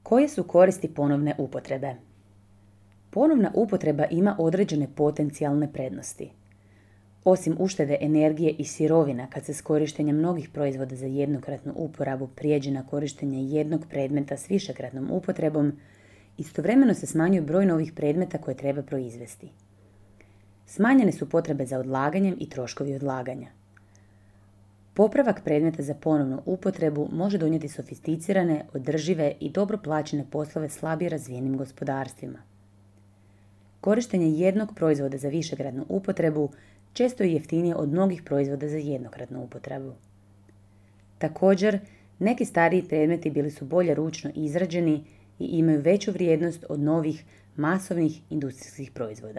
Koje su koristi ponovne upotrebe? Ponovna upotreba ima određene potencijalne prednosti. Osim uštede energije i sirovina kad se s korištenjem mnogih proizvoda za jednokratnu uporabu prijeđe na korištenje jednog predmeta s višekratnom upotrebom, istovremeno se smanjuje broj novih predmeta koje treba proizvesti. Smanjene su potrebe za odlaganjem i troškovi odlaganja. Popravak predmeta za ponovnu upotrebu može donijeti sofisticirane, održive i dobro plaćene poslove slabije razvijenim gospodarstvima. Korištenje jednog proizvoda za višekratnu upotrebu često je jeftinije od mnogih proizvoda za jednokratnu upotrebu. Također, neki stariji predmeti bili su bolje ručno izrađeni i imaju veću vrijednost od novih masovnih industrijskih proizvoda.